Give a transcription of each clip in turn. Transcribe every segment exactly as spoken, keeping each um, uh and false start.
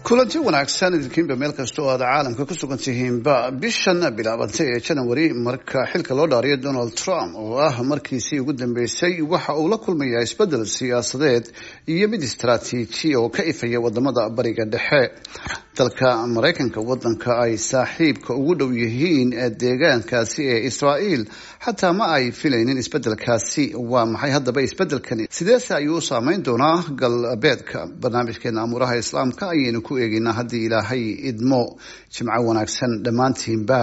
Kulanti wanaagsan idinkiinba meel kasta oo aad caalamka ku sugan tihiinba. Bishan bilaabantay ee January, marka xilka loo dhaariyo Donald Trump, oo ah markiisii ugu dambeysay, waxa uu la kulmayaa isbedel siyaasadeed iyo mid istaraatiiji oo ka ifaya wadamada Bariga Dhexe. Dalka Maraykanka, wadanka ay saaxiibka ugu dhow yihiin deegaankaasi ee Israa'iil, xataa ma ay filaynin isbedelkaasi. Waa maxay haddaba isbedelkani? Sideese ayuu u saameyn doonaa galbeedka? Barnaamijkeena Amuuraha Islaamka ayaynu ku eegeynaa haddii Ilaahay idmo. Jimco wanaagsan dhammaantiinba.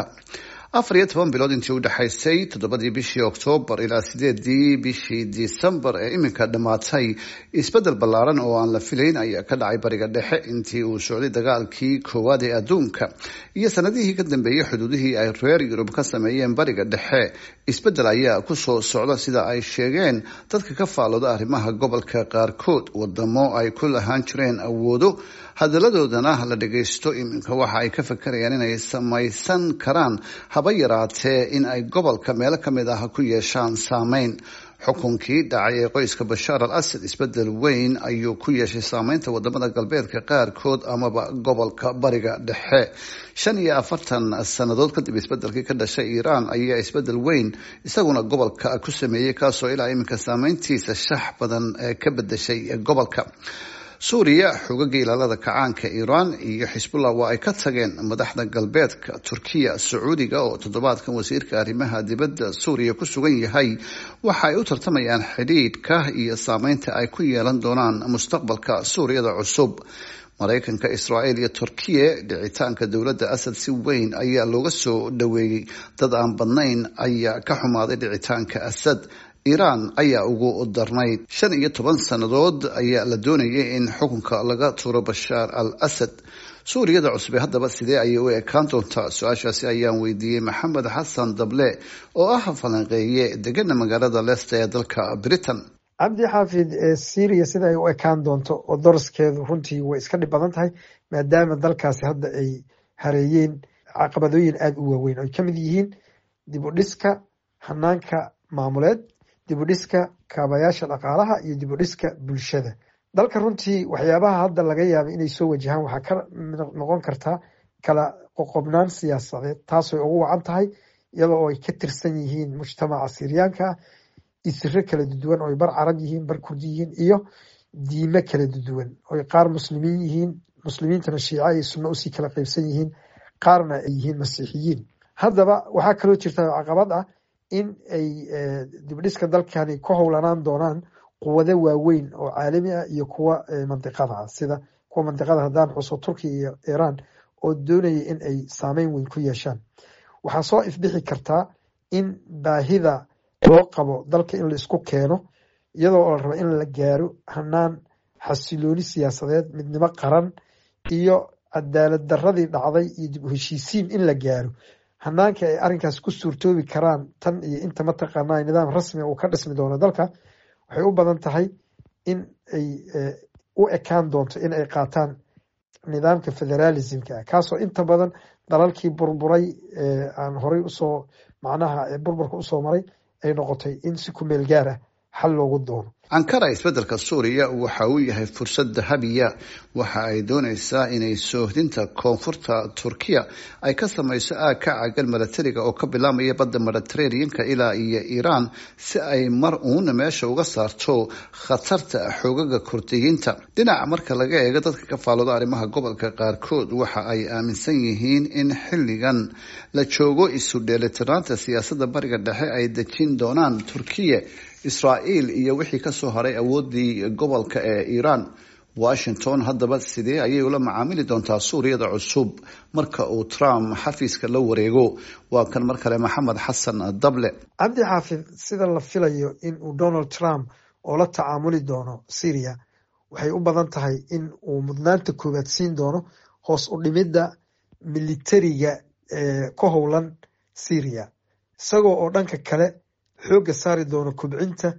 Afar iyo toban bilood intii udhexaysay toddobadii bishii Oktoobar ilaa sideedii bishii Disembar ee iminka dhammaatay, isbedel ballaaran oo aan la filayn ayaa ka dhacay Bariga Dhexe. Intii uu socday dagaalkii koowaad ee adduunka iyo sanadihii ka dambeeyey, xuduudihii ay reer Yurub ka sameeyeen Bariga Dhexe isbedel ayaa kusoo socda, sida ay sheegeen dadka ka faalooda arrimaha gobolka qaarkood. Wadamo ay ku lahaan jireen awoodo, hadaladoodana la dhagaysto, iminka waxa ay ka fakerayaan inay samaysan karaan, haba yaraatee, in ay gobolka meelo kamid ah ku yeeshaan saameyn. Xukunkii dhacay ee qoyska Bashaar al Asad isbedel weyn ayuu ku yeeshay saameynta wadamada galbeedka qaarkood amaba gobolka Bariga Dhexe. Shan iyo afartan sannadood kadib, isbedelkii ka dhashay Iiraan ayaa isbedel weyn isaguna gobolka ku sameeyey, kaasoo ilaa iminka saameyntiisa shax badan ka bedeshay gobolka. Suuriya, xoogagga Ilaalada Kacaanka Iiraan iyo Xisbullah waa ay ka tageen madaxda galbeedka. Turkiya, Sacuudiga oo toddobaadkan wasiirka arrimaha dibadda Suuriya ku sugan yahay, waxa ay u tartamayaan xidhiidhka iyo saameynta ay ku yeelan doonaan mustaqbalka Suuriyada cusub. Maraykanka, Israa'iil iyo Turkiya, dhicitaanka dowladda Asad si weyn ayaa looga soo dhaweeyey. Dad aan badnayn ayaa ka xumaaday dhicitaanka Asad. Iiraan ayaa ugu darnayd. Shan iyo toban sannadood ayaa la doonayay in xukunka laga tuuro Bashaar al Asad. Suuriyada cusube haddaba sidee ayay u ekaan doontaa? Su-aashaasi ayaan weydiiyey Maxamed Xasan Dable oo ah falanqeeye degana magaalada Leicester ee dalka Britain. Cabdi Xaafid, Syria sida ay u ekaan doonto oo doraskeedu runtii way iska dhib badan tahay, maadaama dalkaasi hadda ay hareeyeen caqabadooyin aada u waaweyn, oy ka mid yihiin dib u dhiska hanaanka maamuleed, dib u dhiska kaabayaasha dhaqaalaha iyo dib u dhiska bulshada dalka. Runtii waxyaabaha hadda laga yaaba inay soo wajahaan waxaa ka noqon kartaa kala qoqobnaan siyaasadeed, taasooy ugu wacan tahay iyadoo ay ka tirsan yihiin mujtamaca Siriyaanka ah isiro kala duwan, oy bar Carab yihiin, bar Kurdi yihiin, iyo diime kala duwan, oy qaar Muslimiin yihiin, Muslimiintana Shiica iyo Sunno usii kala qeybsan yihiin, qaarna ay yihiin Masiixiyiin. Haddaba waxaa kaloo jirta caqabad ah in ay dibdhiska dalkani ku howlanaan doonaan quwado waaweyn oo caalami ah iyo kuwa mandiqada ah, sida kuwa mandiqada haddaan xuso Turkiya iyo Iiraan, oo doonaya in ay saameyn weyn ku yeeshaan. Waxaa soo ifbixi kartaa in baahida loo qabo dalka in la isku keeno, iyadoo la rabo in la gaaro hanaan xasilooni siyaasadeed, midnimo qaran iyo cadaalad daradii dhacday iyo dib u heshiisiin in la gaaro. Hanaanka ay arrinkaas ku suurtoobi karaan tan iyo inta mataqaanaa nidaam rasmiga uu ka dhismi doono dalka, waxay u badan tahay in ay u ekaan doonto in ay qaataan nidaamka federalismka ah, kaasoo inta badan dalalkii burburay aan horay usoo macnaha burburka usoo maray ay noqotay in si ku meel gaar ah xal loogu doono. Ankara isbedelka Suuriya waxa uu yahay fursad dahabiya. Waxa ay doonaysaa inay soohdinta koonfurta Turkiya ay ka samayso aag ka caagan milatariga oo ka bilaamaya badda Mediterraneanka ilaa iyo Iiraan, si ay mar uun meesha uga saarto khatarta xoogaga Kurdiyiinta. Dhinaca marka laga eego, dadka ka faalooda arrimaha gobolka qaarkood waxa ay aaminsan yihiin in xilligan la joogo isu dheelitiraanta siyaasadda Bariga Dhexe ay dejin doonaan Turkiya, Israa'iil iyo wixii kasoo haray awoodii gobolka ee Iiraan. Washington haddaba sidee ayay ula macaamili doontaa Suuriyada cusub marka uu Trump xafiiska la wareego? Waa kan mar kale Maxamed Xasan Dable. Cabdi Xaafid, sida la filayo in uu Donald Trump oo la tacaamuli doono Syria, waxay u badan tahay in uu mudnaanta koowaad siin doono hoos u dhimidda militariga ee ku howlan Syria, isagoo oo dhanka kale xoogga saari doono kobcinta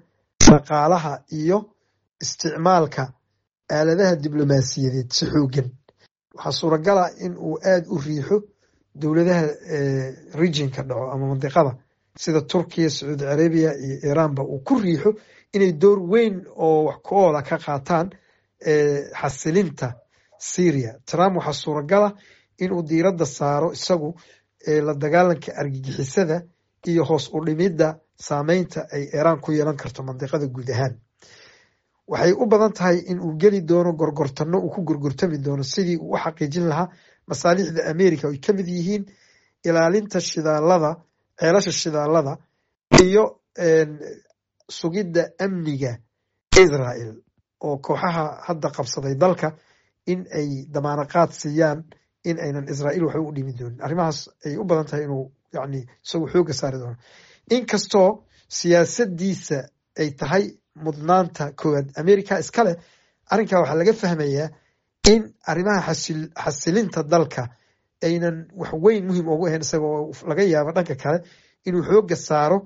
dhaqaalaha iyo isticmaalka aaladaha diblomaasiyadeed si xoogan. Waxaa suuragala in uu aada u riixo dowladaha regionka dhaco ama mandiqada sida Turkiya, Sacuudi Carabiya iyo Iiraanba uu ku riixo inay door weyn oo wax ku oola ka qaataan xasilinta Syria. Trump waxaa suuragala inuu diiradda saaro isagu la dagaalanka argagixisada iyo hoos u dhimidda saameynta ay Iiraan ku yeelan karto mandiqada guud ahaan. Waxay u badan tahay in uu geli doono gorgortano, uu ku gorgortami doono sidii uu u xaqiijin lahaa masaalixda America, ay ka mid yihiin ilaalinta shidaalada, ceelasha shidaalada iyo sugidda amniga Israel, oo kooxaha hadda qabsaday dalka in ay damaanaqaad siiyaan in aynan Israel waxba u dhimi doonin. Arrimahaas ay u badan tahay inuu yani isagu xoogga saari doono, inkastoo siyaasadiisa ay tahay mudnaanta koowaad America iskale. Arrinkaa waxaa laga fahmayaa in arrimaha xasilinta dalka aynan wax weyn muhiim ugu ahayn isagoo, laga yaabo dhanka kale inuu xoogga saaro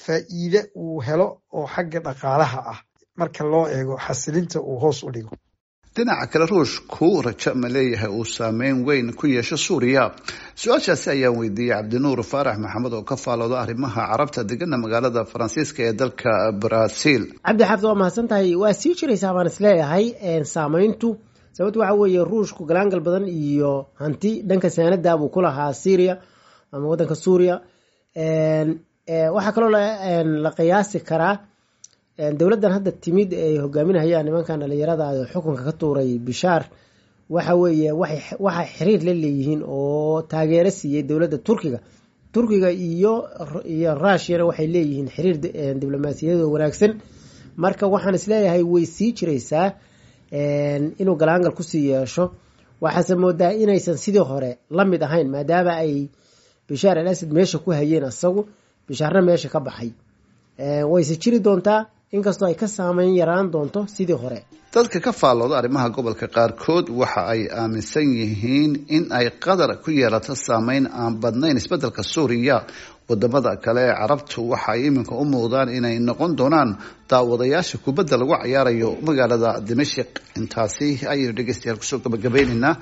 faa'iide uu helo oo xagga dhaqaalaha ah marka loo eego xasilinta uu hoos u dhigo. Dhinaca kale, Ruushku rajo ma leeyahay uu saameyn weyn ku yeesho Suuriya? Su-aashaasi ayaan weydiiyey Cabdinuur Faarax Maxamed oo ka faalooda arrimaha Carabta, degana magaalada Faransiiska ee dalka Brazil. Cabdi Xaafid, waa mahadsan tahay. Waa sii jiraysaa baan isleeyahay saameyntu. Sababto waxa weeye, Ruushku galaangal badan iyo hanti dhanka saanada buu ku lahaa Syria ama wadanka Suuriya. Waxaa kaloo la qiyaasi karaa dowladdan hadda timid ay hogaaminayaan nimankan dhalinyarada xukunka ka tuuray Bishaar, waxa weeye waxay xiriir la leeyihiin oo taageero siiyey dowladda Turkiga. Turkiga iyo iyo Rushiyana waxay leeyihiin xiriir diblomaasiyadeed oo wanaagsan. Marka waxaan isleeyahay way sii jiraysaa inuu galaangal kusii yeesho. Waxaase moodaa inaysan sidii hore la mid ahayn, maadaama ay Bishaar al Asad meesha ku hayeen, isagu Bishaarna meesha ka baxay. Wayse jiri doontaa, inkastoo ay ka saameyn yaraan doonto sidii hore. Dadka ka faallooda arrimaha gobolka qaarkood waxa ay aaminsan yihiin in ay Qatar ku yeelato saameyn aan badnayn isbeddelka Suuriya. Wadamada kale ee Carabtu waxa ay iminka u muuqdaan inay noqon doonaan daawadayaasha kubadda lagu cayaarayo magaalada Dimashik. Intaasi ayaynu dhegeystayaal kusoo gabagabeyneynaa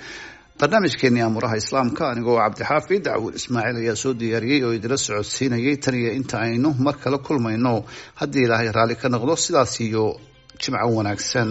barnaamijkeenii Amuuraha Islaamka. Anigoo Cabdixaafid Cawil Ismaaciil ayaa soo diyaariyey oo idila socodsiinayay. Tan iyo inta aynu mar kale kulmayno, haddii Ilaahay raalli ka noqdo, sidaas iyo jimco wanaagsan.